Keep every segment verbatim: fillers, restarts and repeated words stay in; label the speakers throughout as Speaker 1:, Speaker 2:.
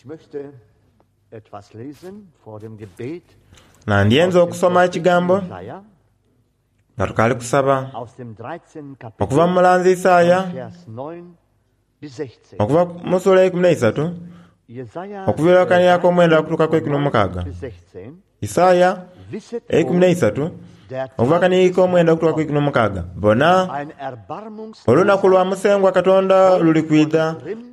Speaker 1: Ich möchte etwas lesen vor dem Gebet
Speaker 2: Nandyenze
Speaker 1: aus dem
Speaker 2: okusoma ekigambo
Speaker 1: Propheten Jesaja,
Speaker 2: nga tukaali kusaba
Speaker 1: aus dem dreizehnten
Speaker 2: okuva mu
Speaker 1: Kapitel,
Speaker 2: mulanzi Isaaya
Speaker 1: von Vers neun bis sechzehn.
Speaker 2: okuva mu ssuula eikumi n'eisatu
Speaker 1: Jesaja
Speaker 2: okuviira akanirako omwenda okutuuka ku
Speaker 1: dreizehn,
Speaker 2: ikumi
Speaker 1: neun
Speaker 2: n'omukaaga.
Speaker 1: bis sechzehn.
Speaker 2: Isaaya
Speaker 1: Wisset
Speaker 2: eikumi
Speaker 1: wohl,
Speaker 2: n'eisatu
Speaker 1: der
Speaker 2: okuva
Speaker 1: Tag
Speaker 2: akaniiko
Speaker 1: des
Speaker 2: omwenda
Speaker 1: Herrn
Speaker 2: okutuuka ku
Speaker 1: kommt.
Speaker 2: ikumi n'omukaaga. Bona,
Speaker 1: Ein
Speaker 2: olunaku
Speaker 1: erbarmungsloser
Speaker 2: lwa Musengwa Katonda
Speaker 1: kommt
Speaker 2: luli
Speaker 1: und
Speaker 2: kwidha.
Speaker 1: Grimm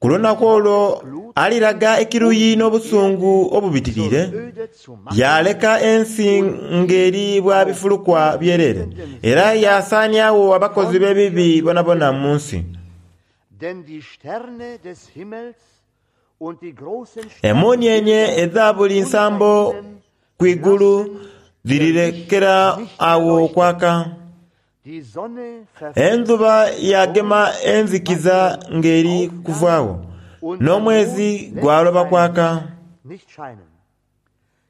Speaker 2: Ku
Speaker 1: und
Speaker 2: lunaku olwo
Speaker 1: Mordglut,
Speaker 2: aliraga
Speaker 1: um
Speaker 2: ekiruyi
Speaker 1: die
Speaker 2: n'obusungu
Speaker 1: Erde zur
Speaker 2: obubitiriire,
Speaker 1: Öde zu machen
Speaker 2: yaleka ensi
Speaker 1: und
Speaker 2: ng'eri
Speaker 1: die
Speaker 2: bwa
Speaker 1: auf
Speaker 2: bifulukwa
Speaker 1: ihr
Speaker 2: byereere,
Speaker 1: liegenden
Speaker 2: era
Speaker 1: Völker
Speaker 2: yaasaaniagho abakozi
Speaker 1: von
Speaker 2: b'ebibi
Speaker 1: ihr zu
Speaker 2: bonabona mu
Speaker 1: tilgen.
Speaker 2: nsi.
Speaker 1: Denn die Sterne des Himmels und die großen
Speaker 2: Emuunienye
Speaker 1: Sternbilder
Speaker 2: edha buli
Speaker 1: unter
Speaker 2: nsambo
Speaker 1: ihnen
Speaker 2: ku igulu
Speaker 1: lassen ihr Licht
Speaker 2: dhirirekera
Speaker 1: nicht
Speaker 2: awo
Speaker 1: leuchten.
Speaker 2: okwaka.
Speaker 1: Die Sonne
Speaker 2: Endhuba
Speaker 1: verfinstert
Speaker 2: yagema
Speaker 1: sogleich bei
Speaker 2: enzikiza
Speaker 1: ihrem
Speaker 2: ng'eri
Speaker 1: Aufgang
Speaker 2: kuvaagho,
Speaker 1: und der
Speaker 2: n'omwezi
Speaker 1: Mond lässt
Speaker 2: gwaloba
Speaker 1: sein
Speaker 2: kwaka.
Speaker 1: Licht nicht scheinen.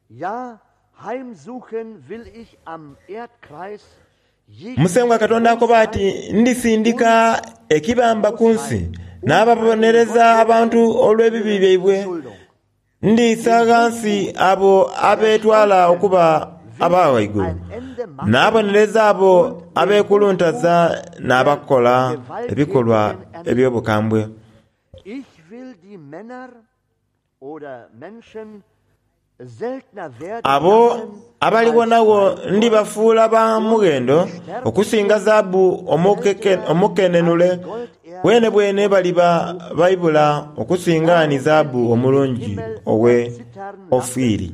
Speaker 1: Ja, heimsuchen will ich am Erdkreis
Speaker 2: Musengwa
Speaker 1: jegliche
Speaker 2: Katonda akoba ati
Speaker 1: Bosheit
Speaker 2: ndisindika
Speaker 1: und
Speaker 2: ekibamba ku nsi
Speaker 1: Bosheit und eine
Speaker 2: n'ababonereza abantu
Speaker 1: gottlose
Speaker 2: olw'ebibi byaibwe.
Speaker 1: Verschuldung.
Speaker 2: Ndiisa
Speaker 1: Den
Speaker 2: ghansi
Speaker 1: Hochmut
Speaker 2: abo
Speaker 1: der
Speaker 2: abeetwala
Speaker 1: Stolzen
Speaker 2: okuba
Speaker 1: will
Speaker 2: aba
Speaker 1: ich
Speaker 2: ghaigulu,
Speaker 1: ein Ende machen
Speaker 2: n'abonereza abo
Speaker 1: und den Hochmut
Speaker 2: abeekuluntaza
Speaker 1: der
Speaker 2: n'abakola ebikolwa
Speaker 1: Gewalttätigen erniedrigen.
Speaker 2: eby'obukambwe.
Speaker 1: Ich will die Männer oder Menschen seltener werden
Speaker 2: Abo
Speaker 1: lassen als
Speaker 2: abaliwonagho
Speaker 1: Feingold
Speaker 2: ndibafuula ba
Speaker 1: und
Speaker 2: mughendo
Speaker 1: die
Speaker 2: okusinga
Speaker 1: Sterblichen
Speaker 2: zaabu omukeke-
Speaker 1: seltener als
Speaker 2: omukenenule,
Speaker 1: Golderz
Speaker 2: bwene bwene
Speaker 1: aus
Speaker 2: baliba
Speaker 1: Ophir.
Speaker 2: baibula okusinga ni
Speaker 1: Darum will
Speaker 2: zaabu
Speaker 1: ich den
Speaker 2: omulungi
Speaker 1: Himmel
Speaker 2: owe
Speaker 1: erzittern lassen
Speaker 2: Ofiri.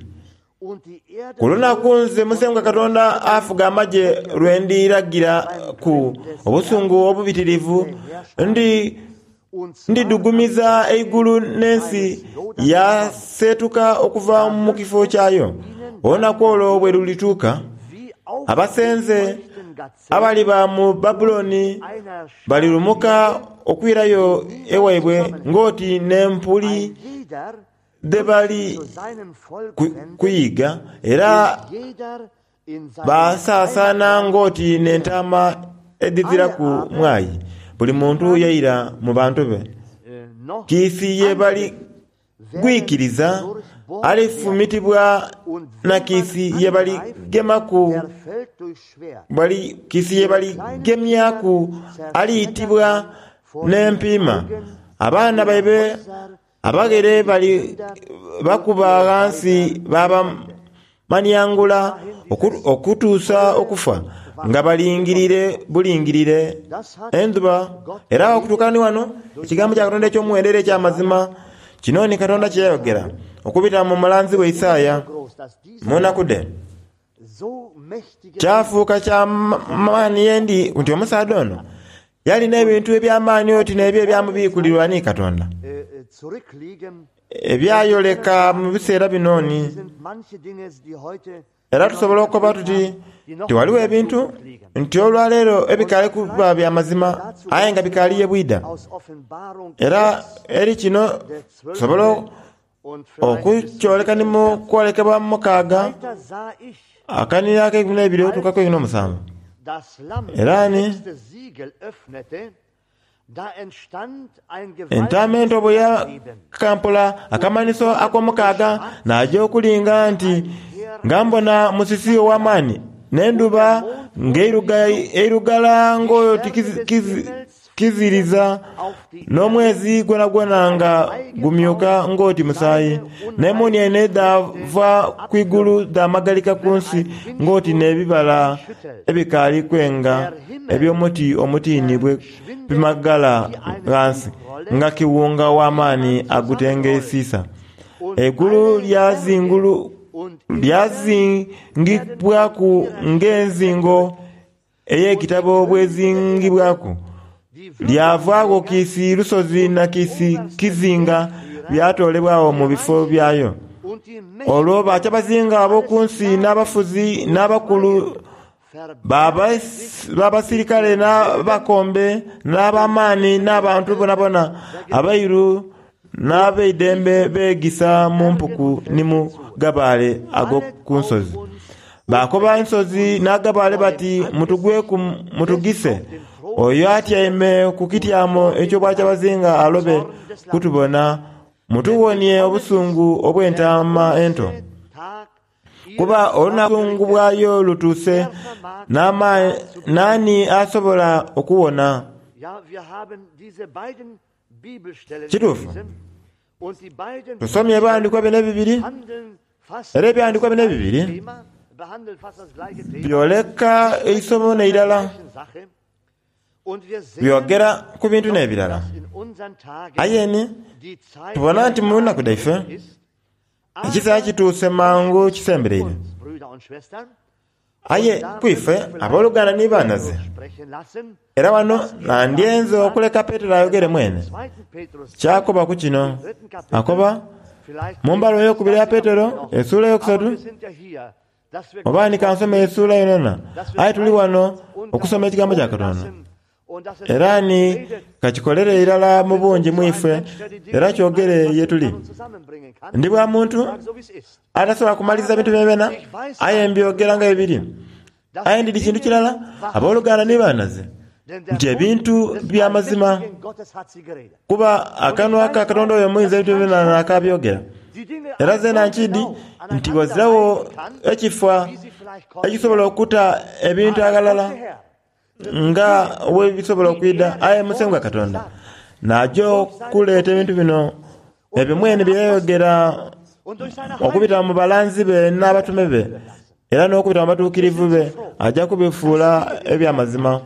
Speaker 1: und die Erde
Speaker 2: Ku lunaku
Speaker 1: wohl
Speaker 2: nze
Speaker 1: von
Speaker 2: Musengwa
Speaker 1: ihrem
Speaker 2: Katonda
Speaker 1: Schütteln
Speaker 2: afuga amagye
Speaker 1: wegerissen
Speaker 2: lwe ndiragira
Speaker 1: beim
Speaker 2: ku
Speaker 1: Grimm des
Speaker 2: obusungu
Speaker 1: Herrn,
Speaker 2: obubitirivu,
Speaker 1: der Herrscher,
Speaker 2: ndi
Speaker 1: und zwar am
Speaker 2: ndidugumiza
Speaker 1: Tage
Speaker 2: eigulu n'ensi
Speaker 1: seines lodernden Zorns.
Speaker 2: yaseetuka okuva
Speaker 1: Da
Speaker 2: mu
Speaker 1: wird
Speaker 2: kifo
Speaker 1: es
Speaker 2: kyayo.
Speaker 1: ihnen dann
Speaker 2: Olunaku olwo bwe
Speaker 1: ergehen
Speaker 2: lulituuka,
Speaker 1: wie
Speaker 2: abasenze
Speaker 1: aufgescheuchten Gazellen
Speaker 2: abaliba mu
Speaker 1: und
Speaker 2: Babuloni
Speaker 1: einer
Speaker 2: balirumuka
Speaker 1: Schafherde,
Speaker 2: okwirayo
Speaker 1: die niemand
Speaker 2: ewaibwe
Speaker 1: zusammenhält.
Speaker 2: ng'oti n'empuli
Speaker 1: Ein jeder
Speaker 2: dhe
Speaker 1: wird sich
Speaker 2: bali
Speaker 1: zu seinem Volk
Speaker 2: ku-
Speaker 1: wenden
Speaker 2: kuyiga, era
Speaker 1: und jeder in seine
Speaker 2: baasaasaana
Speaker 1: Heimatland
Speaker 2: ng'oti
Speaker 1: kehren.
Speaker 2: n'entaama edhizira
Speaker 1: Alle
Speaker 2: ku
Speaker 1: aber,
Speaker 2: mwayi, buli
Speaker 1: die
Speaker 2: muntu
Speaker 1: man
Speaker 2: yaira mu bantu be.
Speaker 1: äh, noch
Speaker 2: Kiisi ye bali
Speaker 1: antrifft, werden
Speaker 2: gwikiriza
Speaker 1: durchbohrt werden.
Speaker 2: alifumitibwa
Speaker 1: Und
Speaker 2: na
Speaker 1: wen man
Speaker 2: kiisi ye
Speaker 1: angreift,
Speaker 2: baligemaku
Speaker 1: der fällt durch Schwert.
Speaker 2: bali kiisi ye
Speaker 1: Ihre kleinen Kinder
Speaker 2: baligemyaku
Speaker 1: zerschmettert
Speaker 2: aliyitibwa
Speaker 1: man vor den
Speaker 2: n'empiima.
Speaker 1: Augen,
Speaker 2: Abaana
Speaker 1: ihre
Speaker 2: baibe
Speaker 1: Häuser
Speaker 2: abaghere
Speaker 1: werden
Speaker 2: bali
Speaker 1: geplündert und
Speaker 2: bakuba
Speaker 1: ihre
Speaker 2: ghansi
Speaker 1: Weiber zerstört.
Speaker 2: babamaniangula
Speaker 1: Bis dahin
Speaker 2: oku-
Speaker 1: dieses
Speaker 2: okutuusa
Speaker 1: teure
Speaker 2: okufa
Speaker 1: und
Speaker 2: nga
Speaker 1: wahrhaftige
Speaker 2: balingirire
Speaker 1: Gotteshaus.
Speaker 2: bulingirire
Speaker 1: Das hat
Speaker 2: endhuba.
Speaker 1: Gott
Speaker 2: Era
Speaker 1: geredet
Speaker 2: okutuuka ni wano
Speaker 1: durch
Speaker 2: ekigambo
Speaker 1: den
Speaker 2: kya Katonda eky'omuwendo era
Speaker 1: Propheten
Speaker 2: eky'amazima
Speaker 1: Jesaja
Speaker 2: kino ni
Speaker 1: vor
Speaker 2: Katonda kye
Speaker 1: dreitausend
Speaker 2: yayogera
Speaker 1: Jahren.
Speaker 2: okubita mu mulanzi we
Speaker 1: Es ist
Speaker 2: Isaaya
Speaker 1: so groß, dass dieser
Speaker 2: mu nnaku
Speaker 1: Mann
Speaker 2: dhe.
Speaker 1: so mächtige Dinge
Speaker 2: Kyafuuka kya maani yendi nti omusaadha ono yalina
Speaker 1: und
Speaker 2: ebintu eby'amaani
Speaker 1: auf
Speaker 2: oti
Speaker 1: die
Speaker 2: n'ebyo
Speaker 1: ferne
Speaker 2: ebyamubiikulirwa
Speaker 1: Zeit
Speaker 2: ni Katonda
Speaker 1: äh, äh, zurückliegen. Und wir können
Speaker 2: ebyayoleka mu
Speaker 1: sagen,
Speaker 2: biseera bino ni
Speaker 1: es sind manche Dinge, die heute
Speaker 2: era
Speaker 1: wir noch
Speaker 2: tusobola
Speaker 1: nicht
Speaker 2: okukoba
Speaker 1: erlebt
Speaker 2: tuti
Speaker 1: haben, die noch
Speaker 2: ti waliwo
Speaker 1: in der
Speaker 2: ebintu
Speaker 1: Zukunft liegen.
Speaker 2: nti olwaleero
Speaker 1: Und
Speaker 2: ebikaali kuba
Speaker 1: vielleicht
Speaker 2: bya mazima
Speaker 1: dazu
Speaker 2: aye nga
Speaker 1: ganz
Speaker 2: bikaali ye
Speaker 1: kurz
Speaker 2: bwida.
Speaker 1: aus Offenbarung
Speaker 2: Era
Speaker 1: sechs,
Speaker 2: eri kino
Speaker 1: der
Speaker 2: tusobola
Speaker 1: zwölfte und vielleicht bis zum
Speaker 2: okukyoleka ni
Speaker 1: siebten
Speaker 2: mu
Speaker 1: Vers.
Speaker 2: kwolekebwa mu mukaaga
Speaker 1: Weiter sah ich,
Speaker 2: akanira ak'eikumi n'ebiri otuukaku
Speaker 1: als
Speaker 2: eikumi n'omusanvu.
Speaker 1: das Lamm
Speaker 2: Era
Speaker 1: das
Speaker 2: ni
Speaker 1: sechste Siegel öffnete, da entstand ein
Speaker 2: entaama
Speaker 1: gewaltiges
Speaker 2: ento bwe
Speaker 1: Erdbeben.
Speaker 2: yakampola
Speaker 1: Und die
Speaker 2: akamanhiso
Speaker 1: Sonne wurde
Speaker 2: ak'omukaaga
Speaker 1: schwarz
Speaker 2: n'aja okulinga
Speaker 1: wie
Speaker 2: nti
Speaker 1: ein heer
Speaker 2: nga mbona musisi ow'amaani
Speaker 1: und der
Speaker 2: n'endhuba
Speaker 1: Mond wurde wie
Speaker 2: ng'eiruga-
Speaker 1: Blut.
Speaker 2: eirugala
Speaker 1: Die
Speaker 2: ng'oti
Speaker 1: Sterne
Speaker 2: kizi-
Speaker 1: des
Speaker 2: kizi-
Speaker 1: Himmels fielen
Speaker 2: kiziriza
Speaker 1: auf die Erde
Speaker 2: n'omwezi gwonagwona
Speaker 1: wie
Speaker 2: nga
Speaker 1: ein
Speaker 2: gumyuka
Speaker 1: Feigenbaum
Speaker 2: ng'oti musaayi
Speaker 1: seine
Speaker 2: n'emuuniene
Speaker 1: unreifen Früchte
Speaker 2: dhaava ku igulu
Speaker 1: abwirft,
Speaker 2: dhaamagalika ku
Speaker 1: wenn
Speaker 2: nsi
Speaker 1: ein
Speaker 2: ng'oti
Speaker 1: Windsturm
Speaker 2: n'ebibala
Speaker 1: sie schüttelt.
Speaker 2: ebikaali kwenga
Speaker 1: Der Himmel
Speaker 2: eby'omuti omutiini bwe
Speaker 1: verschwindet
Speaker 2: bimagala
Speaker 1: wie eine
Speaker 2: ghansi
Speaker 1: Buchrolle,
Speaker 2: nga kiwunga
Speaker 1: die
Speaker 2: w'amaani
Speaker 1: man zusammenrollt.
Speaker 2: agutengeesiisa.
Speaker 1: Und
Speaker 2: Eigulu
Speaker 1: alle Berge
Speaker 2: lyazingulu
Speaker 1: und Inseln werden
Speaker 2: lyazingibwaku
Speaker 1: von ihrer Stelle
Speaker 2: ng'enzingo
Speaker 1: weggerückt. Und die
Speaker 2: ey'ekitabo
Speaker 1: Könige der Erde,
Speaker 2: bw'ezingibwaku.
Speaker 1: die
Speaker 2: Lyavaagho
Speaker 1: Würdenträger
Speaker 2: kiisi lusozi
Speaker 1: und
Speaker 2: na
Speaker 1: die
Speaker 2: kiisi
Speaker 1: obersten
Speaker 2: kizinga
Speaker 1: Heerführer,
Speaker 2: byatoolebwagho mu
Speaker 1: die
Speaker 2: bifo
Speaker 1: Reichen
Speaker 2: byayo.
Speaker 1: und die
Speaker 2: Olwo
Speaker 1: Mächtigen,
Speaker 2: bakyabazinga ab'oku
Speaker 1: alle
Speaker 2: nsi
Speaker 1: Sklaven
Speaker 2: n'abafuzi
Speaker 1: und
Speaker 2: n'abakulu
Speaker 1: Freien verbergen sich
Speaker 2: b'abas- b'abasirikale
Speaker 1: in ihren Höhlen
Speaker 2: n'abakombe
Speaker 1: und den
Speaker 2: n'ab'amaani
Speaker 1: Felsen der
Speaker 2: n'abantu bonabona
Speaker 1: Felsen vergewissert.
Speaker 2: abairu
Speaker 1: Und
Speaker 2: n'ab'eidembe
Speaker 1: liefen
Speaker 2: beegisa
Speaker 1: den
Speaker 2: mu
Speaker 1: Bergen
Speaker 2: mpuku
Speaker 1: und
Speaker 2: ni mu
Speaker 1: Felsen zu:
Speaker 2: gabaale
Speaker 1: Fallet
Speaker 2: ag'oku
Speaker 1: auf
Speaker 2: nsozi.
Speaker 1: uns und
Speaker 2: Baakoba
Speaker 1: bedeckt
Speaker 2: ensozi
Speaker 1: uns
Speaker 2: n'agabaale
Speaker 1: vor dem
Speaker 2: bati mutugweku
Speaker 1: Angesicht des
Speaker 2: mutugise
Speaker 1: auf dem Thron
Speaker 2: oyo
Speaker 1: sitzenden
Speaker 2: atyaime ku
Speaker 1: und
Speaker 2: kityamo
Speaker 1: vor dem
Speaker 2: eky'obwakyabazinga
Speaker 1: Lamm
Speaker 2: alobe
Speaker 1: Zorn des Lammes.
Speaker 2: kutubona Mutuwonie obusungu obw'entaama ento, kuba olunaku bwayo lutuuse, naani asobola okuwona? Kituufu, tusomye ebyawandiikibwa bino ebibiri, era ebyawandiikibwa bino ebibiri byoleka eisomo n'eirala, byogera ku bintu n'ebirala. Aye ni tubona nti mu nnaku dhaife ekiseera kituuse mangu kisembereire. Aye ku ife abooluganda ni baanaze, era wano nandyenze okuleka Petero ayogere mwene kyakoba ku kino. Akoba mu mbaluwa eyokubiri ya Petero essuula eyokusatu, oba ni kansome essuula yonayona, aye tuli wano okusoma ekigambo kya Katonda. Era ni kakikolere irala mu bungi mu ife, era kyogere ye tuli. Ndi bwa muntu atasobola kumaliriza bintu byonabyona, aye mbyogera nga bwe biri. Aye ndidi kintu kirala, abooluganda ni baanaze, nti ebintu bya mazima, kuba akanwa ka Katonda oyo omuyinza ebintu byonabyona n'akabyogera. Era zeena nkidi nti ghaziragho ekifa ekisobola okuta ebintu aghalala nga bwe bisobola okwidha. Aye Musengwa Katonda n'aja okuleeta ebintu bino ebyo mwene bye yayogera okubita mu balanzi be n'abatume be, era n'okubita mu batuukirivu be, aja kubifuula eby'amazima.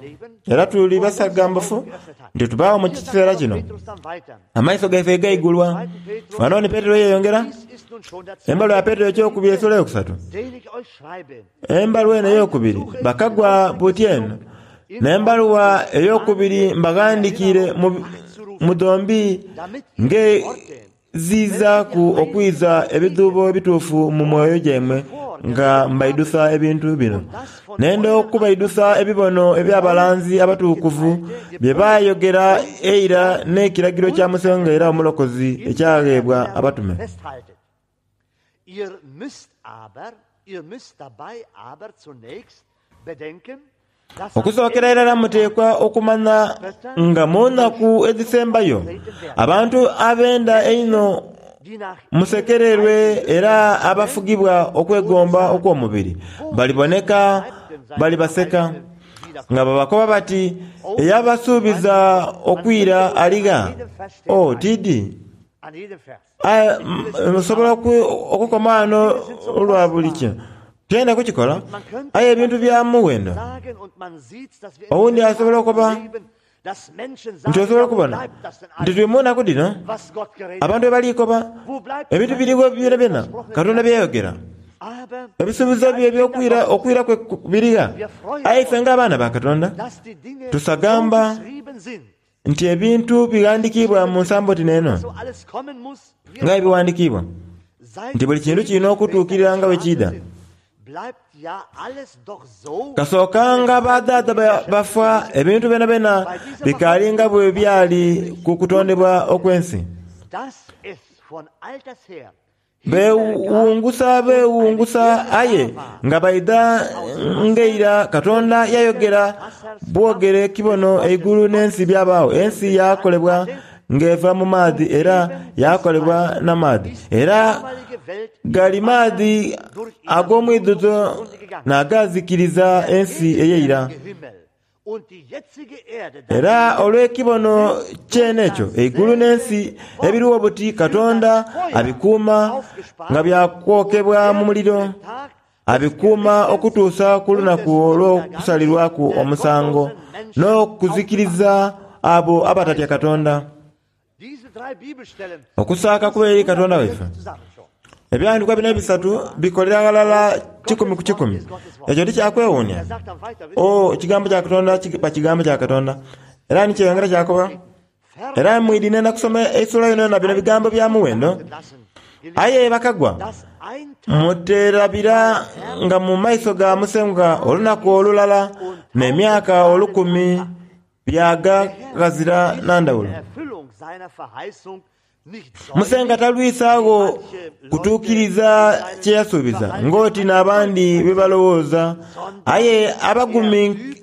Speaker 2: Era tuli basagambufu nti tubaagho mu kiseera kino. Amaiso gaife gaigulwa. Wano ni Petero yeeyongera, embaluwa ya Petero ekyokubiri essuula eyokusatu. Embaluwa eno eyokubiri bakagwa buti eno n'embaluwa eyokubiri mbaghandikiire mu dhombi ngezizaaku okwiza ebidhuubo ebituufu mu myoyo gyaimwe nga mbaidhusa ebintu bino. Nenda okubaidhusa ebibono eby'abalanzi abatukuvu bye baayogera eira n'ekiragiro kya Musengwa era Omulokozi ekyagheebwa abatume.
Speaker 1: Ihr müsst aber, ihr müsst dabei aber zunächst bedenken, dass am
Speaker 2: Okusookera irala muteekwa okumanya nga mu nnaku edhisembayo abantu abenda einho
Speaker 1: die nach
Speaker 2: musekererwe era abafugibwa okwegomba okw'omubiri baliboneka balibaseka nga babakoba bati, "Eyabasuubiza okwira aligha?" Oh, tidi.
Speaker 1: an jedem Vers.
Speaker 2: Aye nsobola okukoma wano olwa buli kino. Tyenda kukikola, aye ebintu bya muwendo.
Speaker 1: Sagen und man sieht, dass wir in
Speaker 2: Owundi
Speaker 1: diesen
Speaker 2: asobola
Speaker 1: Tagen
Speaker 2: okuba
Speaker 1: leben, dass Menschen
Speaker 2: nti
Speaker 1: sagen,
Speaker 2: osobola
Speaker 1: ja, wo
Speaker 2: okubona
Speaker 1: bleibt das denn
Speaker 2: nti
Speaker 1: eigentlich,
Speaker 2: tuli mu nnaku dhino
Speaker 1: was Gott geredet
Speaker 2: abantu
Speaker 1: hat?
Speaker 2: bwe balikoba
Speaker 1: Wo bleibt
Speaker 2: ebintu
Speaker 1: das
Speaker 2: biriwo byonabyona
Speaker 1: versprochene
Speaker 2: Katonda byeyogera.
Speaker 1: Aber
Speaker 2: Ebisuubizo bye eby'okwira okwira kwe birigha. Aye ife ng'abaana ba Katonda
Speaker 1: dass die Dinge so
Speaker 2: tusagamba
Speaker 1: geschrieben sind,
Speaker 2: nti ebintu bighandikiibwa mu nsambo ti n'eno
Speaker 1: so alles kommen muss, wir
Speaker 2: nga ebiwandikiibwa
Speaker 1: seit
Speaker 2: nti buli kintu kirina okutuukirira nga bwe kiidha.
Speaker 1: sind, bleibt ja alles doch so,
Speaker 2: Kasookanga badhaadha ba- bafa ebintu byonabyona bikaali nga bwe byali ku kutondebwa okw'ensi.
Speaker 1: dass es von alters her
Speaker 2: Beewungusa beewungusa aye nga baidha ng'eira Katonda yayogera bwogere kibono eigulu n'ensi byabaagho. Ensi yakolebwa ng'eva mu maadhi era yakolebwa n'amaadhi. Era
Speaker 1: damalige Welt
Speaker 2: gali maadhi ag'omwidhuzo n'agazikiriza ensi ey'eira.
Speaker 1: Himmel und die jetzige Erde
Speaker 2: Era olw'ekibono kyene ekyo eigulu n'ensi ebiriwo buti Katonda abikuuma nga byakwokebwa mu muliro, abikuuma okutuusa ku lunaku olw'okusalirwaku omusango n'okuzikiriza abo abatatya Katonda.
Speaker 1: Diese drei Bibelstellen
Speaker 2: Okusaaka kuba eri Katonda waife.
Speaker 1: zusammen schon.
Speaker 2: Ebyawandiikibwa bino ebisatu bikolera ghalala kikumi ku kikumi. Ekyo tikyakwewuunia.
Speaker 1: Er sagt dann weiter, wisst
Speaker 2: O, ekigambo kya Katonda kiba kigambo kya Katonda. Era nikyeyongera kyakoba. Era mwidhi nenda kusoma essuula yonayona bino bigambo bya muwendo.
Speaker 1: ihr, lassen,
Speaker 2: Aye bakagwa
Speaker 1: dass ein Tag
Speaker 2: muterabira nga mu maiso ga Musengwa olunaku olulala n'emyaka olukumi byaga ghazira na ndhawulo.
Speaker 1: der Erfüllung seiner Verheißung nicht
Speaker 2: Musenga talwisaagho kutuukiriza kye yasuubiza ng'oti n'abandi bwe balowooza, aye abagumi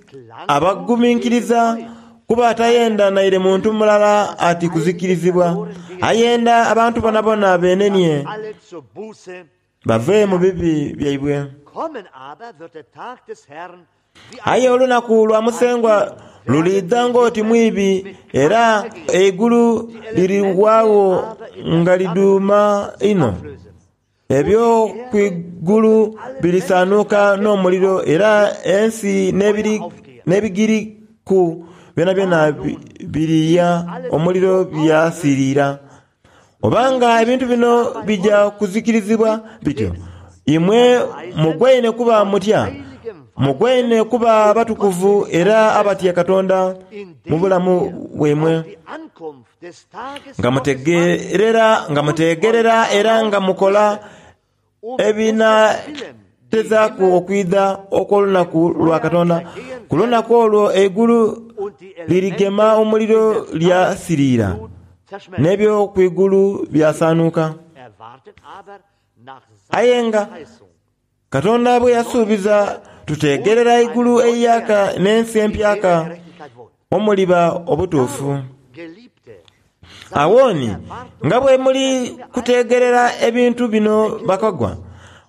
Speaker 2: abaguminkiriza Kuba atayenda naire muntu mulala ati kuzikirizibwa, ayenda abantu bonabona benenie bave mu bibi byaibwe. Aye olunaku lwa Musengwa lulidha ng'oti mwibi, era eigulu liriwagho nga liduuma inho. Ebyo kwigulu birisanuka n'omuliro, era ensi n'ebigiriku byonabyona biriya omuliro byasirira. Obanga ebintu bino bija kuzikirizibwa bityo, imwe mugwaine kuba mutya? Mugwaine kuba abatukuvu era abatya Katonda mu bulamu bwaimwe, nga mutegerera, nga mutegerera era nga mukola ebinaatezaaku okwidha okw'olunaku lwa Katonda. Ku lunaku olwo eigulu lirigema omuliro lyasirira, n'ebyokwigulu byasanuka. Aye nga Katonda bwe yasuubiza, tutegerera eigulu eiyaka n'ensi empyaka omuliba obutuufu. Awoni nga bwe muli kutegerera ebintu bino bakagwa,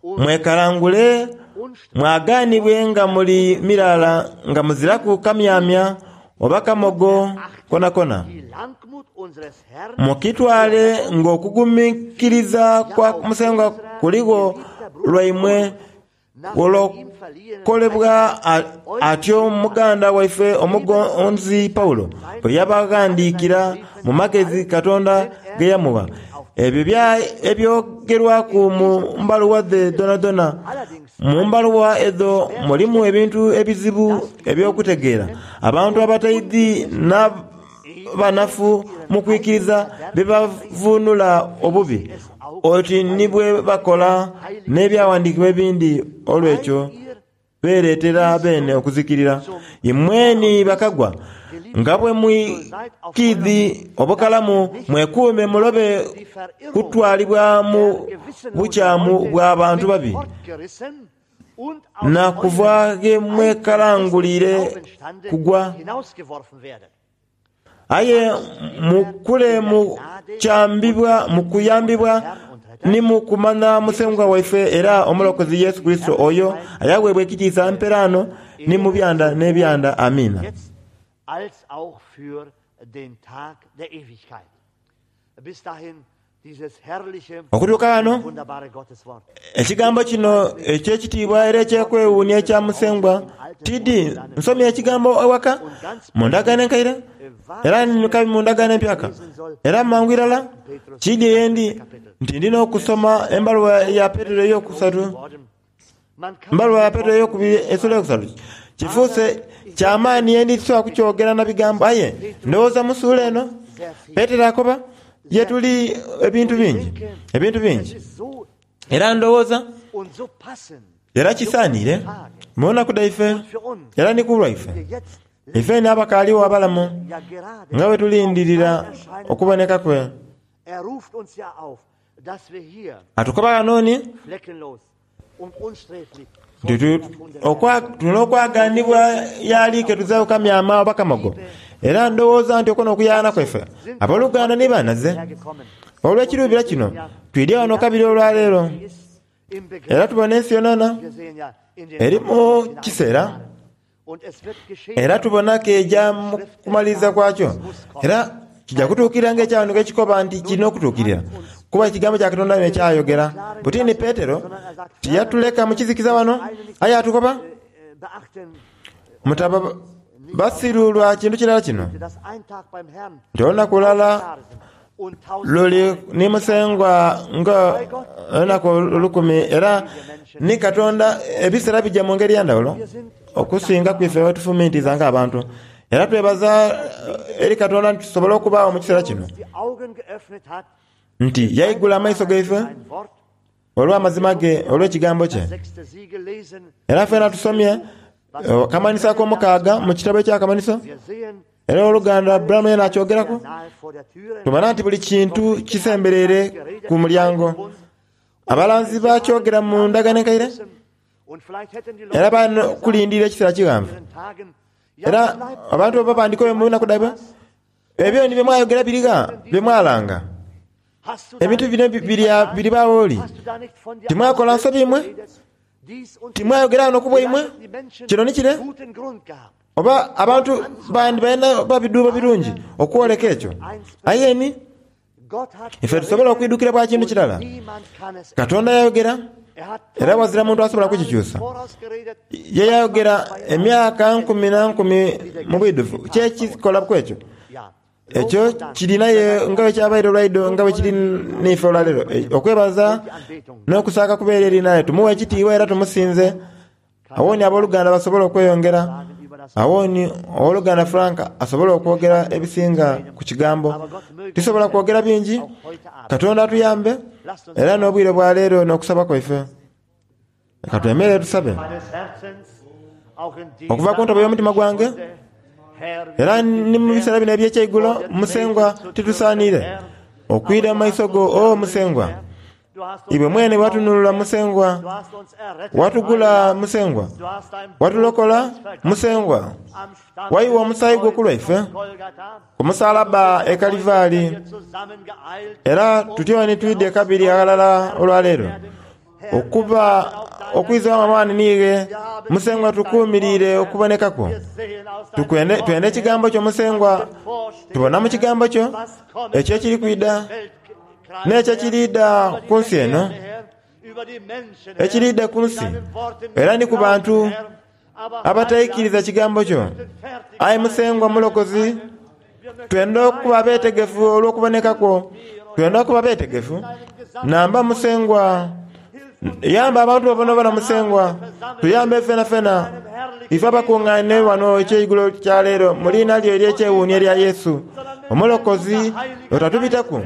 Speaker 2: mwekalangule mwaganibwe nga muli miraala, nga muziraku kamyamya oba kamogo konakona. Mukitwale ng'okuguminkiriza kwa Musengwa kuligho lwaimwe kulokolebwa. Atyo muganda waife omugonzi Paulo bwe yabaghandiikira mu magezi Katonda ge yamugha. Ebyo ebyogerwaku mu mbaluwa dhe dhoonadhoona. Mu mbaluwa edho mulimu ebintu ebizibu eby'okutegeera, abantu abataidhi n'abanafu mu kwikiriza bye bavuunula obubi, oti ni bwe bakola n'ebyawandiikibwa ebindi. Olw'ekyo beereetera beene okuzikirira. Imwe ni bakagwa, nga bwe mwikiidhi obukalamu, mwekuume mulobe kutwalibwa mu bukyamu bwa bantu babi, na kuva ghe mwekalangulire kugwa. Aye mukule mu kuyambibwa ni mu kumanha Musengwa waife era Omulokozi Yesu Kurisito, oyo ayaweebwa ekitiisa mperaano ni mu byanda n'ebyanda. Amiina. Okutuuka ghano, ekigambo kino eky'ekitiibwa era eky'okwewuunia ekya Musengwa tidi nsomye ekigambo ewaka mu ndagaano enkaire era kabi mu ndagaano empyaka, era mangu irala kiidye yendi nti ndina okusoma embaluwa ya Petero eyokusatu, embaluwa ya Petero eyokubiri esula eyokusatu. Kifuuse kyamaani yendi tisobola kukyogera na bigambo, aye ndowooza mu sula eno Petero akoba ye tuli ebintu bingi, ebintu bingi. Era ndowooza era kisaaniire mu nnaku dhaife era ni ku lwaife, ife ni abakaaligho abalamu nga bwe tulindirira okuboneka kwe. Atukoba ghano ni tulina okwaganibwa y'ali ke tuziraku kamyama oba kamogo. Era ndowooza nti okwo n'okuyaana kwaife abooluganda ni banaze. Olw'ekiruubira kino twidye ghano kabiri olwaleero, era tubona ensi yonayona eri mu kiseera, era tubona keja mu kumaliriza kwakyo. Era kija kutuukirira ng'ekyawandiikibwa ekikoba nti kirina okutuukirira, kuba ekigambo kya Katonda n'ekyayogera. Buti ni Petero tiyatuleka mu kizikiza wano, aye atukoba mutaba basiru lwa kintu kirala kino, nti olunaku lulala luli ni Musengwa nga olunaku olukumi, era ni Katonda ebiseera bija mu ngeri ya ndhawulo okusinga ku ife bwe tufumintiza ng'abantu. Era twebaza eri Katonda nti tusobola okubaagho mu kiseera kino, nti yaigula amaiso gaife olw'amazima ge, olw'ekigambo kye. Era fena tusomye akamanhiso ak'omukaaga mu kitabo eky'akamanhiso, era oluganda Branham yena akyogeraku. Tubona nti buli kintu kisembereire ku mulyango. Abalanzi bakyogera mu ndagaano enkaire, era balina okulindirira ekiseera kighanvu. Era abantu babandikoyo mu nnaku dhaibwe, ebyo ni bye mwayogera biriga bye mwalanga. Ebintu bino biribaawo oli. Timwakola nsobi imwe? Timwayogera wano ku bwaimwe? Kino ni kire? Oba abantu bandi balina babiduuba birungi okwoleka ekyo. Aye ni ife tusobola okwidukira bwa kintu kirala. Katonda yayogera, era wazira muntu asobola kukikyusa. Ye yayogera emyaka nkumi na nkumi mu bwidhuvu. Kyekikola ku ekyo? Ekyo kiri naye nga bwe kyabaire olwaido, nga bwe kiri n'ife olwaleero. Okwebaza n'okusaaka kubeera eri naye. Tumuwe ekitiibwa era tumusinze. Awooni abooluganda basobola okweyongera. Awooni owooluganda Frank asobola okwogera ebisinga ku kigambo. Tusobola kwogera bingi. Katonda atuyambe era n'obwire bwa leero n'okusaba kwaife. Katwemere tusabe. Okuva ku ntobo y'omutima gwange, era ni mu biseera bino eby'ekyeigulo, Musengwa titusaanire okwira mu maiso go, o Musengwa. Iwe mwene watununula Musengwa, watugula Musengwa, watulokola Musengwa, waiwa omusaayi gwo ku lwaife ku musalaba e Kalivaali. Era tutyoni twidye kabiri aghalala olwaleero okuba okwizamu amaani niighe Musengwa tukuumirire okubonekako. Tukwende twende ekigambo kyo Musengwa, tubona mu kigambo kyo ekyo ekiri kwida n'ekyo ekiriida ku nsi eno, ekiriida ku nsi era ni ku bantu abataikiriza kigambo kyo. Aye Musengwa Mulokozi, twenda okuba abeetegefu olw'okubonekakwo, twenda okuba abeetegefu. Namba Musengwa, yamba abantu babonabona Musengwa, tuyambe fena fena ife abakuŋŋaine wano ekyeigulo kya leero mu liina lyo ery'ekyewuunyo erya Yesu Omulokozi otatubitaku.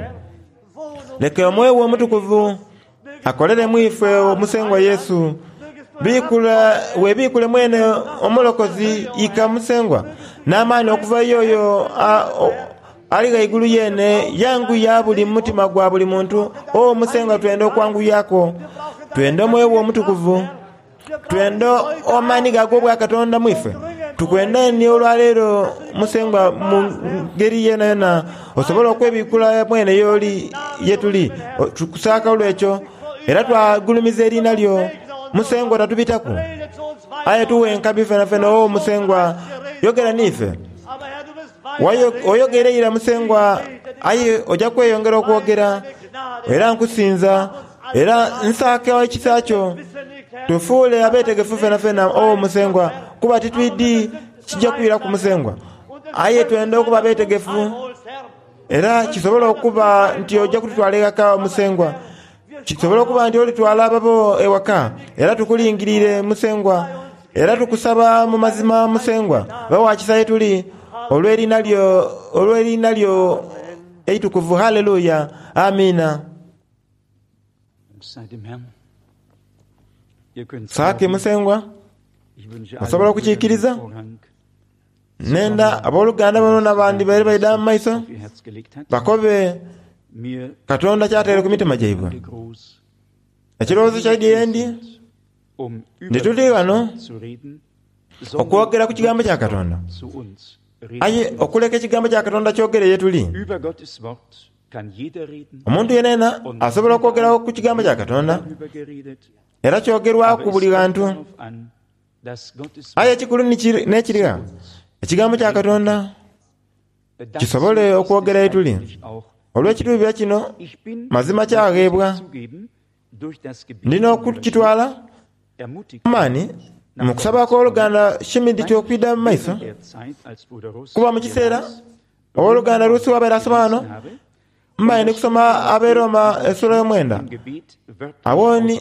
Speaker 2: Leka omwoyo we omutukuvu akolere mu ife Omusengwa Yesu. Biikula webiikule mwene Omulokozi ika Musengwa n'amaani okuva yoyo ali ghaigulu yene, yanguya buli mutima gwa buli muntu. O Musengwa, twenda okwanguyako, twenda omwoyo we omutukuvu, twenda amaani gago obwa Katonda mu ife. Tukwenda ni olwaleero Musengwa mu ngeri yena yona osobola okwebikula mwene yoli yetuli. Tukusaaka olwekyo era twagulumiza eriina lyo Musengwa, tatubitaku. Aye tuwe enkabi fena fena. O Musengwa, yogera niife. Oyogere ira Musengwa, aye ojja kweyongera okwogera. Era nkusinza, era nsaaka ekisa kyo. Tufuule abeetegefu fena fena, o Musengwa, kuba titwidi kijja kwira ku Musengwa. Aye twenda okuba abeetegefu, era kisobola okuba nti ojja kututwala ewaka Musengwa. Kisobola okuba nti olitwala ababo ewaka, era tukulingirire Musengwa, era tukusaba mu mazima Musengwa, bawakisa ye tuli olw'eriina lyo, olw'eriina lyo eitukuvu. Haleluya, amina. Saake Musengwa, osobola okukiikiriza? Nenda abooluganda bano n'abandi baire baida mu maiso bakobe Katonda kyateere ku mitima gyaibwe. Ekirowoozo kyaidye ndi nti tuli ghano okwogera ku kigambo kya Katonda, aye okuleka ekigambo kya Katonda kyogere ye tuli. Omuntu yenayena asobola okwogera ku kigambo kya Katonda, era kyogerwaku buli ghantu. Aye ekikulu n'ekirigha, ekigambo kya Katonda kisobole okwogera ye tuli. Olw'ekirubira kino mazima kyagheebwa, ndina okukitwala amaani mu kusaba kw'oluganda Schmidt okwidha mu maiso, kuba mu kiseera owooluganda Rusi wabaire asoma wano, mbaire ndi kusoma Aberoma esula y'omwenda. Awo ni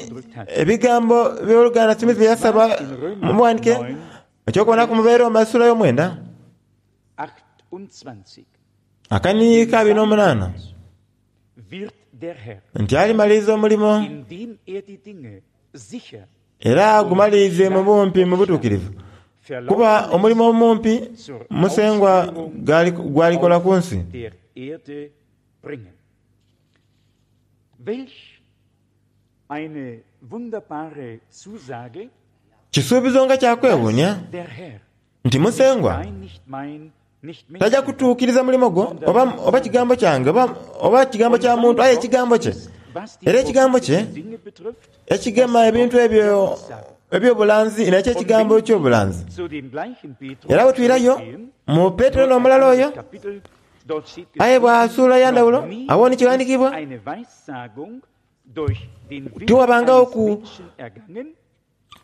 Speaker 2: ebigambo by'oluganda Smith bye yasaba muwandike ekyokubonaku mu Beroma esula y'omwenda akaniika abiri n'omunaana nti alimaliriza omulimo era agumalirize mu bumpi mu butuukirivu, kuba omulimo omumpi Musengwa gwalikola ku nsi. Kisuubizo nga kyakwewuunia Nti Musengwa tajja kutuukiriza mulimo gwo oba, oba kigambo kyange oba, oba kigambo kya muntu, aye ekigambo kye. Era ekigambo kye ekigema ebintu ebyo eby'obulanzi nekyo ekigambo eky'obulanzi. Era bwe twirayo mu Petero n'omulala oyo, aye bw'asuula yandawulo awo ni kiwandiikibwa tiwabangawo ku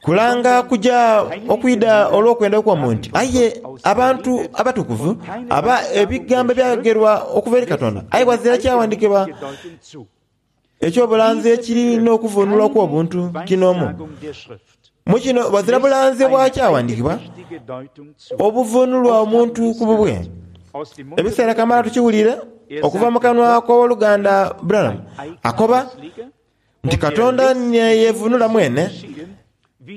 Speaker 2: kulanga kuja okwida olw'okwenda okw'omuntu, aye abantu abatukuvu aba ebigambo ebyayogerwa okuva eri Katonda, aye bwazira kyawandiikibwa eky'obulanzi ekiri n'okuvunulwa okw'obuntu kinoomu. Mu kino bwazira bulanzi obwakyawandiikibwa obuvunulwa omuntu ku bubwe. Ebiseera kamala tukiwulire okuva mu kanwa kw'owoluganda Branham akoba nti Katonda neyevunula mwene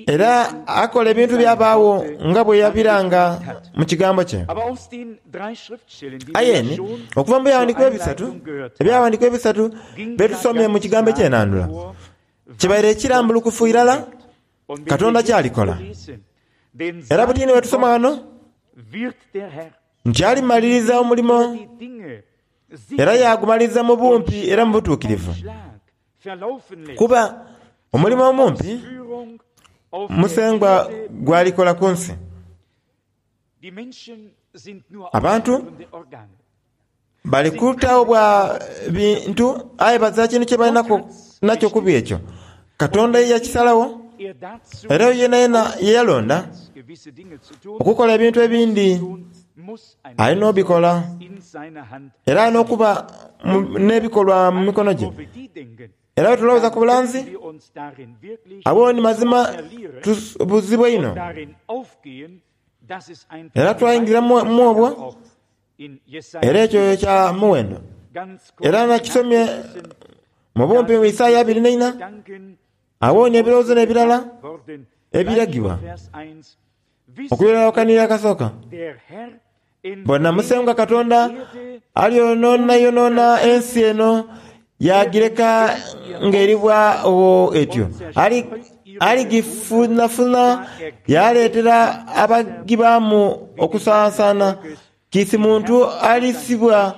Speaker 2: era akola ebintu byabaawo nga bwe yabiranga mu kigambo kye. Aye ni okuva mu byawandiikibwa ebisatu ebyawandiikibwa ebisatu byetusomye mu kigambo ekyenandula kibaire ekirambulukufu irala Katonda kyalikola. Era butini bwe tusoma wano nti alimaliriza omulimo era yagumaliriza mu bumpi era mu butuukirivu, kuba omulimo omumpi Musengwa gwalikola ku nsi. Abantu bali kutawo bwa bintu aye bazira kintu kye balina nakyo kubi ekyo. Katonda ye yakisalagho era oyo yenayena ye yalonda okukola ebintu ebindi alina obikola era alina okuba n'ebikolwa mu mikono gye. Era bwe tulowooza ku bulanzi abo ni mazima tubuzibwa inho era twayingira mu obwo, era ekyo kya muwendo. Era nakisomye mu bumpi mu Isaaya abiri n'eina, awo ni ebirowoozo n'ebirala ebiragibwa okubirakanira akasooka. Bona Musengwa Katonda alyonoonayonona ensi eno yagireka ng'eribwa ogho etyo. Aligifunafuna yaleetera abagibaamu okusansaana. Kiisi muntu alisibwa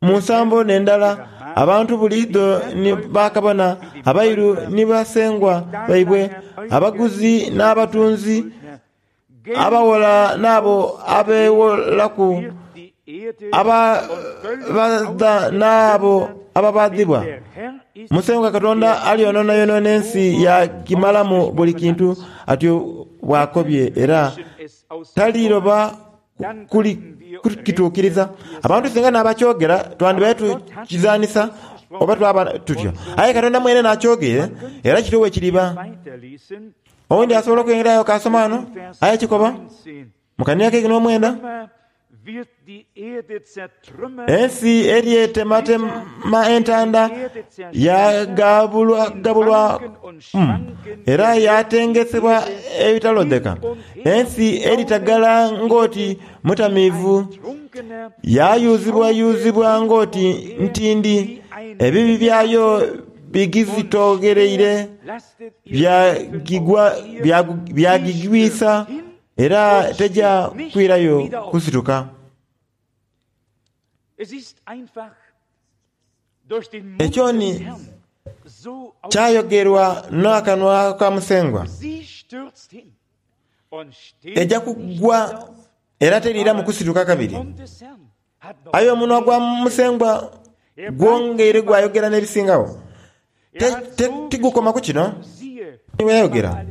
Speaker 2: mu nsambo n'endala, abantu buliidho ni bakabona, abairu ni basengwa baibwe, abaguzi n'abatunzi, abawola n'abo abeewolaku, ababaadha n'abo ababaadhibwa. Musengwa Katonda alyonoonayonona ensi yagimalamu buli kintu, atyo bw'akobye, era taliroba kukituukiriza. Abantu singa n'abakyogera twandibaire tukizanisa oba twaba tutyo, aye Katonda mwene n'akyogeire era kityo bwe kiriba. Owundi asobola okwengerayo kasoma wano aye kikoba mu kanira keikumi n'omwenda, ensi eryetematema entanda yagabulwagabulwa mm, era yatengesebwa ebitalodheka. Ensi eritagala ng'oti mutamiivu, yayuzibwayuzibwa ng'oti ntindi. Ebibi byayo bigizitoghereire byagigwisa era teja kwirayo kusituka. Ekyo ni kyayogerwa n'akanwa ka Musengwa. Eja kugwa era teriiramu kusituka kabiri. Aye omunwa gwa Musengwa gwongeire gwayogera n'ebisingagho. Tigukoma ku kino bwe yayogera.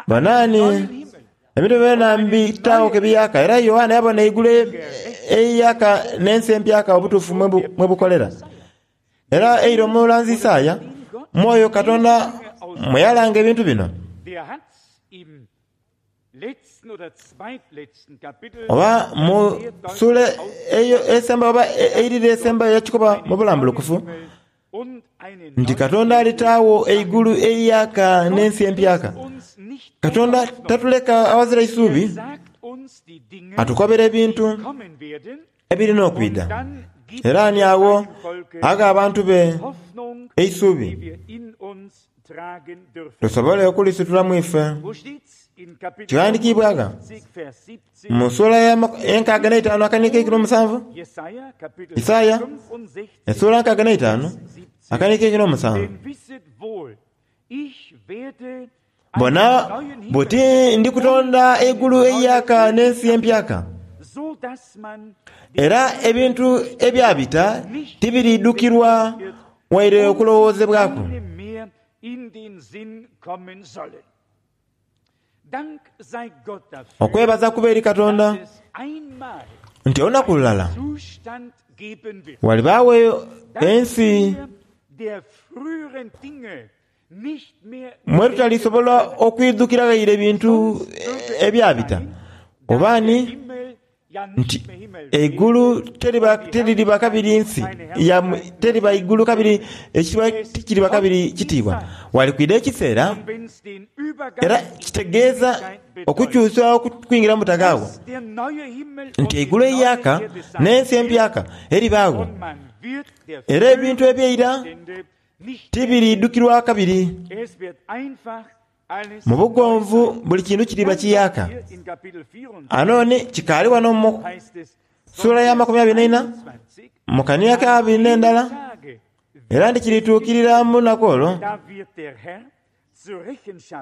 Speaker 2: Banaani ebintu byona mbitaagho ke biyaka, era Yohana yabona eigulu eiyaka n'ensi empyaka obutuufu mwe bukolera. Era eira omulanzi Isaaya mwoyo Katonda mwe yalanga ebintu bino. Oba mu sula eyo esembayo oba eirira esembayo yakikoba mu bulambulukufu nti Katonda alitaagho eigulu eiyaka n'ensi empyaka. Katonda tatuleka awazira isuubi, atukobera ebintu ebirina okwidha. Era ni agho agha abantu be eisuubi tusobole okulisitulamu ife. Kiwandiikibwaga mu ssuula y'enkaaga n'eitaanu akaniiko eikumi n'omusanvu. Isaaya essuula nkaaga n'eitaanu akaniiko eikumi n'omusanvu. Bona buti ndi kutonda eigulu eiyaaka n'ensi empyaka, era ebintu ebyabita tibiriidhukirwa waire okulowoozebwaku. Okwebaza kuba eri Katonda nti olunaku lulala walibaawo ensi mwe tutalisobola okwidhukira ghaire ebintu ebyabita oba ni nti eigulu teririba kabiri nsi, teriba igulu kabiri, ekitiibwa tikiriba kabiri kitiibwa. Wali kwidha ekiseera era kitegeeza okukyusa okwingira mu butaghaagho nti eigulu eiyaaka n'ensi empyaka eribaagho, era ebintu ebyeira tibiriidhukirwa kabiri. Mu bugonvu buli kintu kiriba kiyaaka. Anoni kikaali wano mu ssuula ya makumi abiri n'eina mu kania ka abiri n'endala, era nti kirituukirira mu lunaku olwo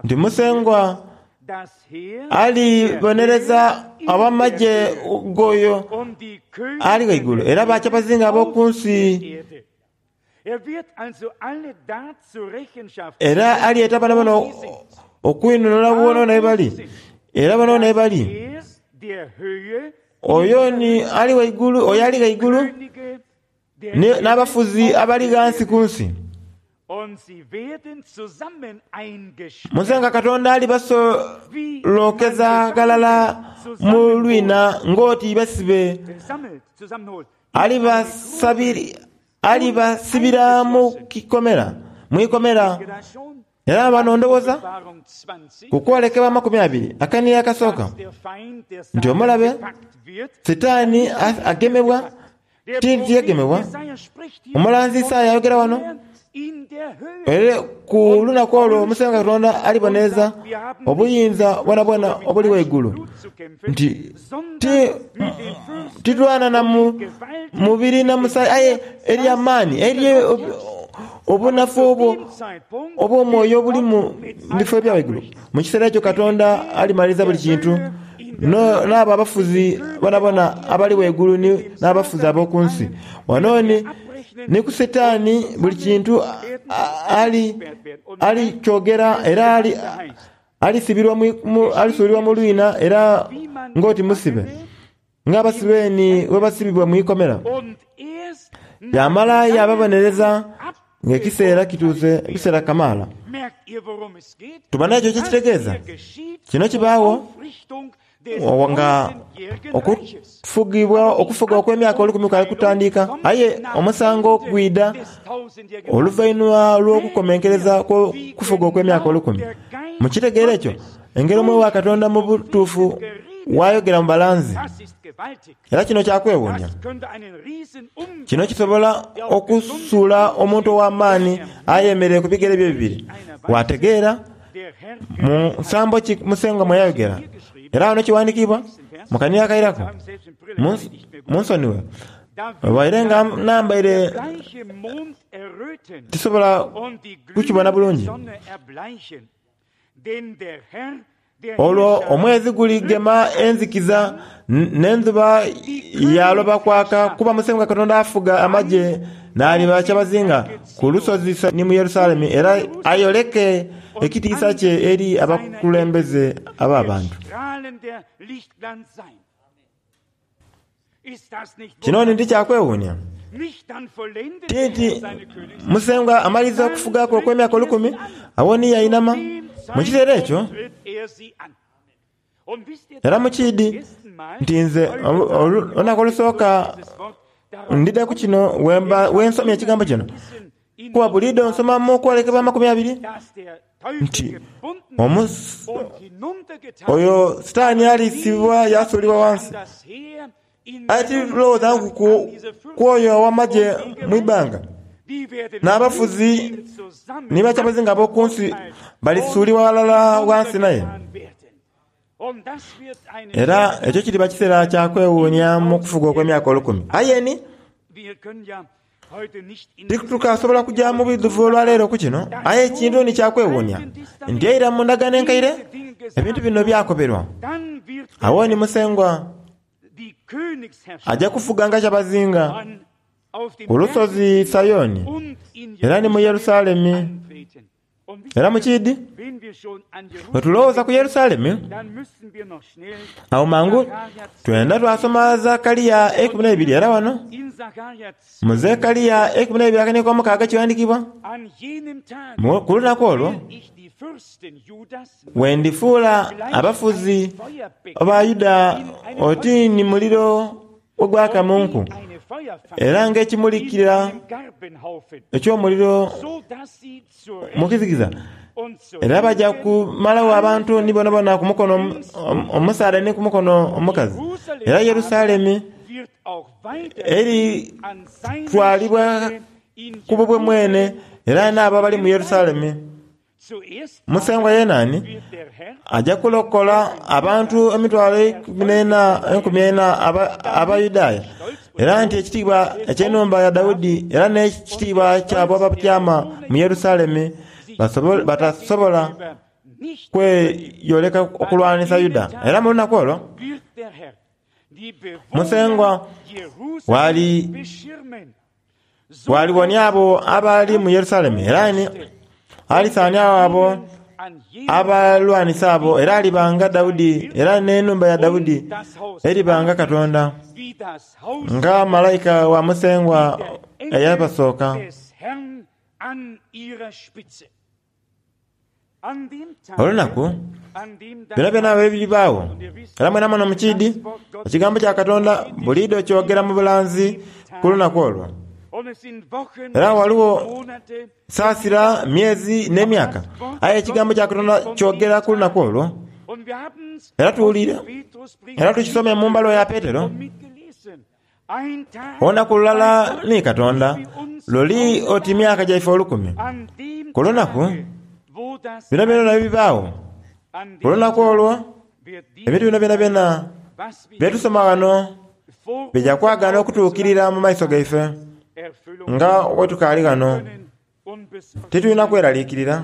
Speaker 2: nti Musengwa alibonereza ab'amagye g'oyo ali ghaigulu era bakyabazinga ab'oku nsi. Era alyeta boonaboona okwinhonhola boonaboona ye bali, era boonaboona ye bali. Oyo ni ali ghaigulu, oyo ali ghaigulu n'abafuzi abali ghansi ku nsi. Musengwa Katonda alibasolokeza ghalala mu lwina ng'oti basibe, alibasibira mu ikomera. Era bano ndowooza ku kwolekebwa amakumi abiri akaniya akasooka nti omulabe Sitaani agemebwa, ti nti yagemebwa. Omulanzi Isaaya ayogera wano era ku lunaku olwo Musengwa Katonda alibonereza obuyinza bwonabwona obuli ghaigulu nti titulwana na mubiri na musaayi aye eri amaani, eri obunafu obwo obw'omwoyo obuli mu bifo ebya ghaigulu. Mu kiseera ekyo Katonda alimaliriza buli kintu, n'abo abafuzi bonabona abali ghaigulu n'abafuzi ab'oku nsi. Wano ni, ni ku Sitaani buli kintu alikyogera era alisuulibwa mu lwina era ng'oti musibe, ng'abasibe ni bwe basibibwa mu ikomera. Yamala yaababonereza ng'ekiseera kituuse, ekiseera kamaala. Tubona ekyo kyekitegeeza. Kino kibaagho nga okufugibwa okufuga okw'emyaka olukumi kwali kutandika, aye omusango gwidha oluvainhuma lw'okukomenkereza kw'okufuga okw'emyaka olukumi. Mukitegeera ekyo? Engeri omwoyo wa Katonda mu butuufu wayogera mu balanzi. Era kino kyakwewuunia. Kino kisobola okusuula omuntu ow'amaani ayemereire ku bigere bye bibiri. Wategeera mu nsambo ki Musengwa mwe yayogera. Era wano kiwandiikibwa mu kania akairaku, munsonighe waire nga nambaire tisobola kukibona bulungi. Olwo omwezi guligema enzikiza n'endhuba yaaloba kwaka, kuba Musengwa Katonda afuga amagye n'aliba kyabazinga ku lusozi ni mu Yerusalemu, era ayoleke ekitiisa kye eri abakulembeze ab'abantu. Kino ni tikyakwewuunia ti nti Musengwa amaliriza okufugaku okw'emyaka olukumi, agho ni yainama mu kiseera ekyo. Era mukiidhi nti nze olunaku olusooka ndidha ku kino wensomye ekigambo kino, kuba buliidho nsoma mu kwolekebwa amakumi abiri nti oyo Sitaani alisibibwa yasuulibwa ghansi. Aye tilowooza ku oyo ow'amagye mu ibbanga, n'abafuzi ni bakyabazinga ab'oku nsi balisuulibwa ghalala ghansi naye. Era ekyo kiriba kiseera kya kwewuunia mu kufuga okw'emyaka olukumi. Aye ni titukasobola kuja mu bwidhuvu olwaleero ku kino, aye ekintu ni kya kwewuunia nti eira mu ndagaano enkaire ebintu bino byakoberwa. Awo ni Musengwa aja kufuga nga kyabazinga ku lusozi Sayoni era ni mu Yerusalemi. Era mu kiidi bwe tulowooza ku Yerusalemi, awo mangu twenda twasoma Zakaliya eikumi n'eibiri. Era wano mu Zekaliya eikumi n'eibiri akaniiko omukaaga kiwandikibwa, ku lunaku olwo wendifuula abafuzi ba Yuda oti ni muliro ogwaka mu nku, era ng'ekimulikira eky'omuliro mu kizikiza. Era baja kumalagho abantu ni bonabona ku mukono omusaadha ni ku mukono omukazi. Era Yerusalemi eritwalibwa ku bubwe mwene, era n'abo abali mu Yerusalemi. Musengwa yenaani aja kulokola abantu emitwalo enkumi ena Abayudaaya, era nti ekitiibwa eky'enhumba ya Daudi era n'ekitiibwa ky'abo abatyama mu Yerusalemi batasobola kweyoleka okulwanisa Yuda. Era mu lunaku olwo Musengwa waliwonia abo abali mu Yerusalemi, era ni alisaaniagho abo abalwanisa abo, era alibanga Daudi, era n'enhumba ya Daudi eribanga Katonda, nga malaika wa Musengwa eyabasooka. Olunaku byonabyona bwe biribaagho, era mwenamwena mu kiidi, ekigambo kya Katonda buliidho kyogera mu bulanzi ku lunaku olwo. Era ghaligho saasira, myezi n'emyaka, aye ekigambo kya Katonda kyogera ku lunaku olwo. Era tuwulire, era tukisome mu mbaluwa ya Petero, olunaku lulala ni Katonda luli oti myaka gyaife olukumi. Ku lunaku bino byona bibaagho, ku lunaku olwo ebintu bino byonabyona bye tusoma ghano bija kwagaana okutuukirira mu maiso gaife nga bwe tukaali ghano. Titulina kweraliikirira.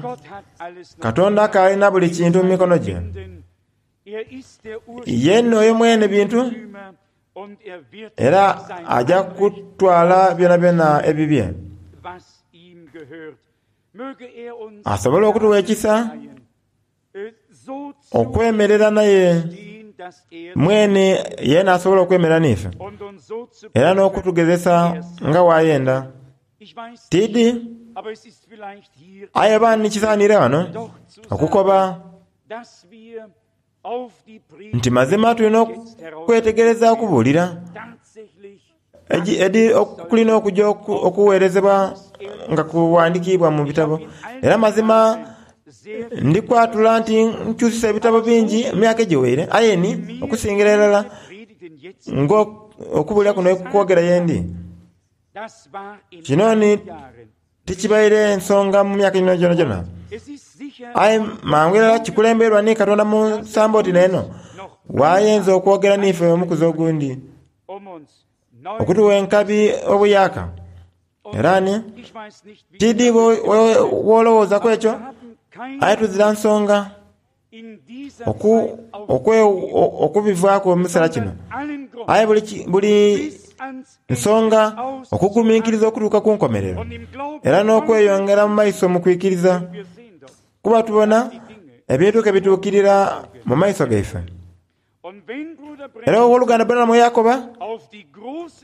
Speaker 2: Katonda akaalina buli kintu mu mikono gye. Ye n'oyo mwene bintu, era aja kutwala byonabyona ebibye. Asobole okutuwa ekisa okwemerera naye mwene yeena asobola okwemerera n'ife, era n'okutugezesa nga bw'ayenda. Tiidi aye oba ni kisaaniire ghano okukoba nti mazima tulina okwetegereza okubuulira kulina okuja okuweerezebwa nga kuwandikiibwa mu bitabo. Era mazima ndikwatula nti nkyusisa ebitabo bingi mu myaka egiweire, aye ni okusingira irala ng'okubuulira kuno kwogera yendi. Kino ni tikibaire nsonga mu myaka gino gyonagyona, aye mangu irala kikulemberwa ni Katonda mu nsambo oti n'eno wayinza okwogera n'ife omukuzi ogundi okutuwa enkabi obuyaaka. Era ni tiidi bw'olowoozaku ekyo, aye tuzira nsonga okubivaaku mu kiseera kino. Aye buli nsonga okugumiikiriza okutuuka ku nkomerero, era n'okweyongera mu maiso mu kwikiriza, kuba tubona ebintu ke bituukirira mu maiso gaife. Era ow'oluganda Branham yakoba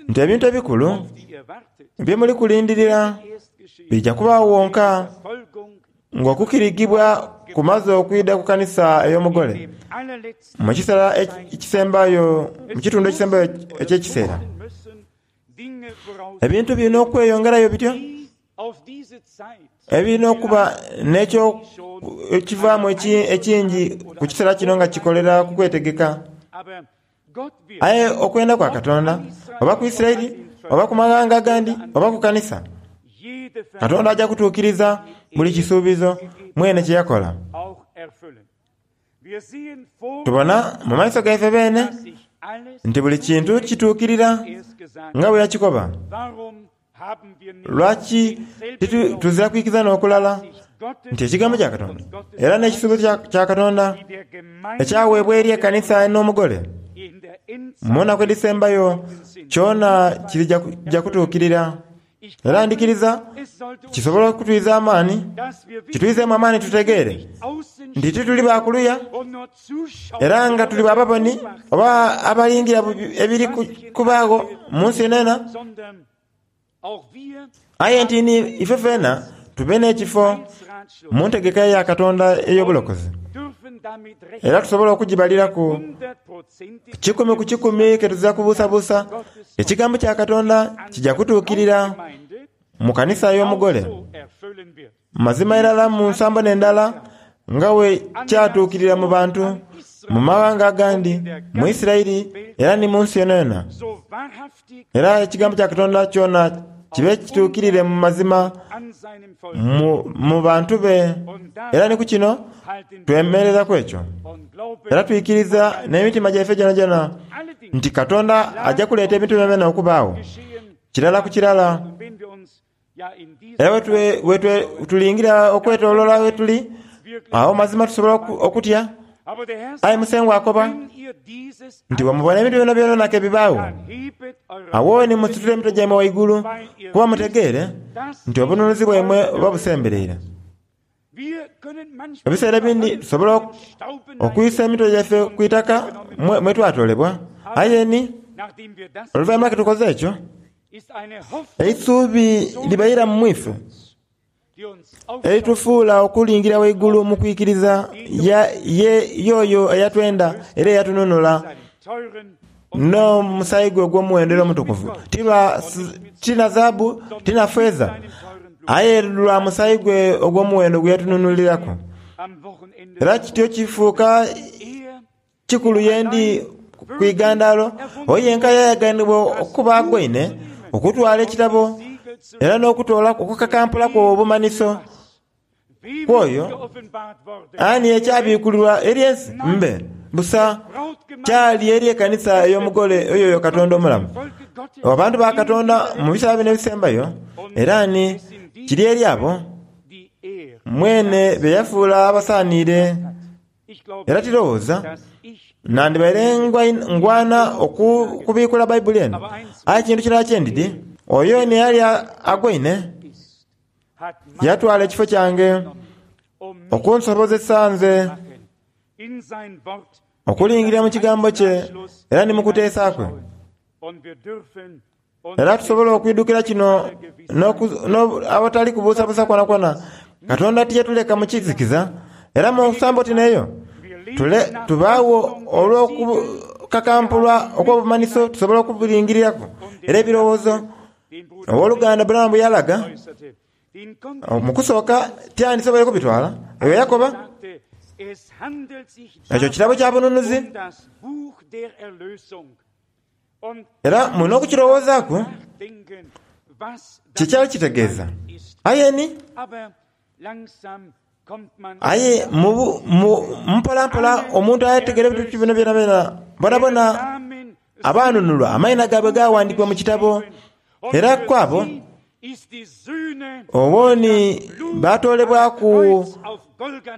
Speaker 2: nti ebintu ebikulu bye muli kulindirira bija kubaawo wonka ng'okukirigibwa kumaze okwidha ku kanisa ey'omugole mu kiseera ekisembayo, mu kitundu ekisembayo eky'ekiseera. Ebintu birina okweyongerayo bityo, ebirina okuba n'ekyo ekivaamu ekingi ku kiseera kino nga kikolera ku kwetegeka. Aye okwenda kwa Katonda, oba ku Isiraeli, oba ku maghanga agandi, oba ku kanisa, Katonda aja kutuukiriza buli kisuubizo mwene kye yakola. Tubona mu maiso gaife beene nti buli kintu kituukirira nga bwe yakikoba. Lwaki tuzira kwikiriza n'okulala nti ekigambo kya Katonda era n'ekisuubizo kya Katonda ekyaweebwa eri ekanisa n'omugole mu nnaku edhisembayo kyona kirija kutuukirira. Era ndikiriza kisobola okutwiza amaani, kitwizeemu amaani tutegeere nti tituli bakuluya era nga tuli bababoni oba abalingira ebiri kubaagho mu nsi enena, aye nti ni ife fena tube n'ekifo mu ntegeka ya Katonda ey'obulokozi, era tusobola okugibaliraku kikumi ku kikumi ke tuzira kubuusabuusa. Ekigambo kya Katonda kijja kutuukirira mu kanisa y'omugole mazima irala mu nsambo n'endala nga we kyatuukirira mu bantu mu mawanga agandi, mu Isiraeli era ni mu nsi yonayona. Era ekigambo kya Katonda kyona kibe kituukirire mu mazima mu, mu bantu be. Era ni ku kino twemereraku ekyo, era twikiriza n'emitima gyaife gyonagyona nti Katonda ajja kuleeta ebintu byona okubaagho kirala ku kirala. Era wetwe tulingira okwetoloola wetuli awo mazima tusobola okutya. Aye Musengwa akoba nti bwemubona ebintu byona byona ke bibaawo, awo ni musitule emitwe gyaimwe waigulu, kuba mutegeere nti obununuzi bwaimwe buba busembereire. Ebiseera ebindi tusobola okwisa emitwe gyaife ku itaka mwe twatoolebwa, aye ni oluvannyuma ke tukoze ekyo, eisuubi libaira mu mwife eritufuula okulingira waigulu mu kwikiriza y'oyo eyatwenda era eyatununula n'omusaayi gwe ogw'omuwendo era omutukuvu. Ti na zaabu, ti na feeza, aye lwa musaayi gwe ogw'omuwendo gwe yatununuliraku. Era kityo kifuuka kikulu yendi ku igandalo oyo yenka yayaganibwa okuba agwaine okutwala ekitabo era n'okutoola okukakampulaku obumanhiso kwoyo ani ekyabikulirwa eri ensi mbe busa kyali eri ekanisa ey'omugole oyo Katonda omulamu. Abantu ba Katonda mu biseera bino ebisembayo, era ni kiri eri abo mwene be yafuula abasaaniire. Era tirowooza nandibaire ngwana okubikula Bayibuli eno, aye kintu kirala kyendidi, oyo ni yali agwaine yatwala ekifo kyange okunsobozesa nze okulingira mu kigambo kye era ni mu kuteesa kwe. Era tusobola okwidukira kino awatali kubuusabuusa kwonakwo. Katonda tiyatuleka mu kizikiza, era mu nsambo ti n'eyo tubaawo olw'okukakampulwa okw'obumanhiso tusobola okubulingiriraku. Era ebirowoozo owooluganda Branham bwe yalaga mu kusooka tyandisoboire kubitwala. Eyo yakoba ekyo kirabo kya bununuzi, era mulina okukirowoozaaku kyekyali kitegeeza. Aye ni aye mpolampola omuntu ategeera ebintu bino byonabyona bonabona abanunulwa amaina gaabwe gawandiikibwa mu kitabo. Era kwabo obwoni batoolebwaku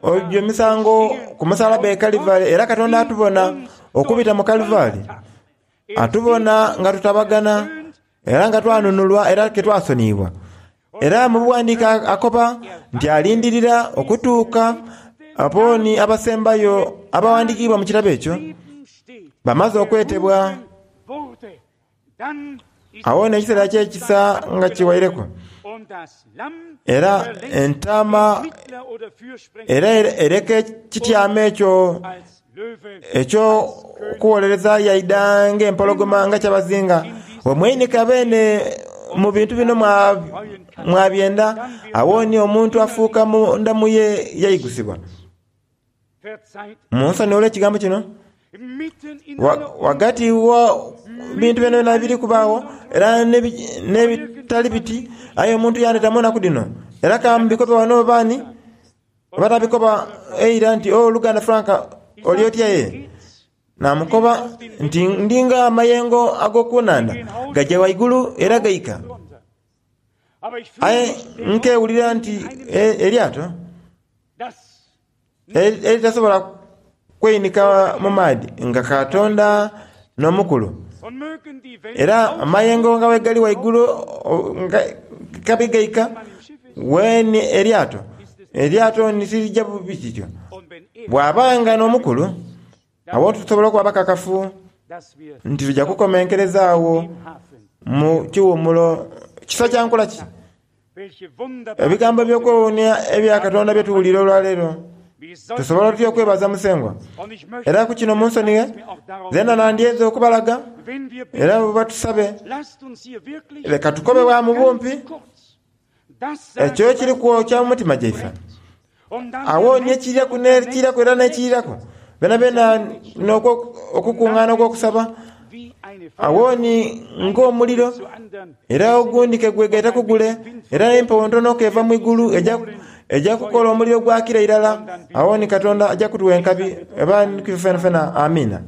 Speaker 2: egyo emisango ku musalaba e Kalivari. Era Katonda atubona okubita mu Kalivari, atubona nga tutabagana era nga twanunulwa era ke twasoniibwa. Era mu buwandiika akoba nti alindirira okutuuka abooni abasembayo abawandiikibwa mu kitabo ekyo bamaze okwetebwa. Awo n'ekiseera ky'ekisa nga kiwaireku, era entaama era ereka ekityamo ekyo eky'okuwolereza yaida ng'empologoma nga kyabazinga. Bwe mweyinika beene mu bintu bino mwabyenda, awo ni omuntu afuuka munda mu ye yaigusibwa. Munsonyiwe olw'ekigambo kino, wagati wa bintu byona biri kubaagho era n'ebitali biti, aye omuntu yandeta mu nnaku dhino. Era kambikobe wano baani batabikoba eira nti oluganda Frank Oli otya ye? Namukoba nti ndinga amayengo ag'oku nnhandha gaja waigulu era gaika. Aye nkewulira nti eryato eritasobola kweinika mu maadhi nga Katonda n'omukulu. Era amayengo nga bwegali waigulu nga kabi gaika weni eryato eryato nitirijja bubi kityo. Bw'abanga n'omukulu awo tusobola okuba abakakafu nti tujja kukomenkereza awo mu kiwumulo. Kisa kya nkola ki? Ebigambo eby'okwewuunia ebya Katonda bye tuwulira olwaleero tusobola tutya okwebaza Musengwa? Era ku kino munsonighe zeena nandyeze okubalaga era bwe tusabe leka tukobe bwa mu bumpi ekyo ekiri kwokya mu mutima gyaife. Awo ni ekiriraku n'ekiriraku era n'ekiriraku byenabyenna okukuŋŋaana okw'okusaba awo ni ng'omuliro era ogundi ke gwegaita ku gule era empewo ntono keva mu igulu ejja kukola omuliro gwakira irala. Awo ni Katonda ajja kutuwa enkabi eba fenafena. Amiina.